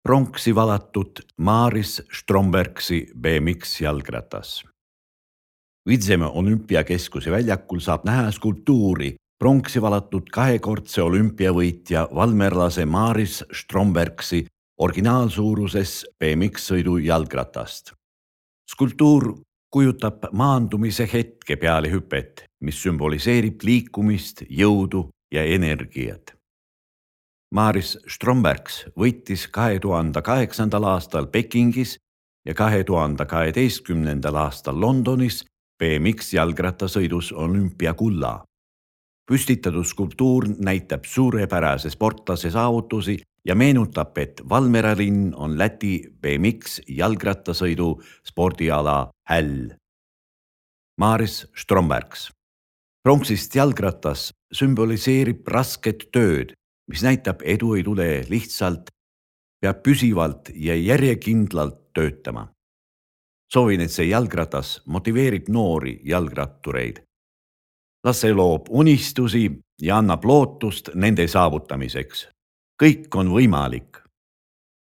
Pronksi valatud Maris Strombergsi BMX jalgratas. Vidzemäe olümpiakeskuse väljakul saab näha skulptuuri pronksi valatud kahekordse olümpiavõitja valmerlase Maris Strombergsi originaalsuuruses BMX-sõidu jalgratast. Skulptuur kujutab maandumise hetke peale hüpet, mis sümboliseerib liikumist, jõudu ja energiat. Maris Strombergs võitis 2008. aastal Pekingis ja 2012. aastal Londonis BMX jalgrattasõidus olümpiakulla. Püstitatud skulptuur näitab suurepärase sportlase saavutusi ja meenutab, et Valmiera linn on Läti BMX jalgrattasõidu spordiala häll. Maris Strombergs. Pronksist jalgratas sümboliseerib rasket tööd, mis näitab edu ei tule lihtsalt, peab püsivalt ja järjekindlalt töötama. Soovin, et see jalgratas motiveerib noori jalgrattureid. Las see loob unistusi ja annab lootust nende saavutamiseks. Kõik on võimalik.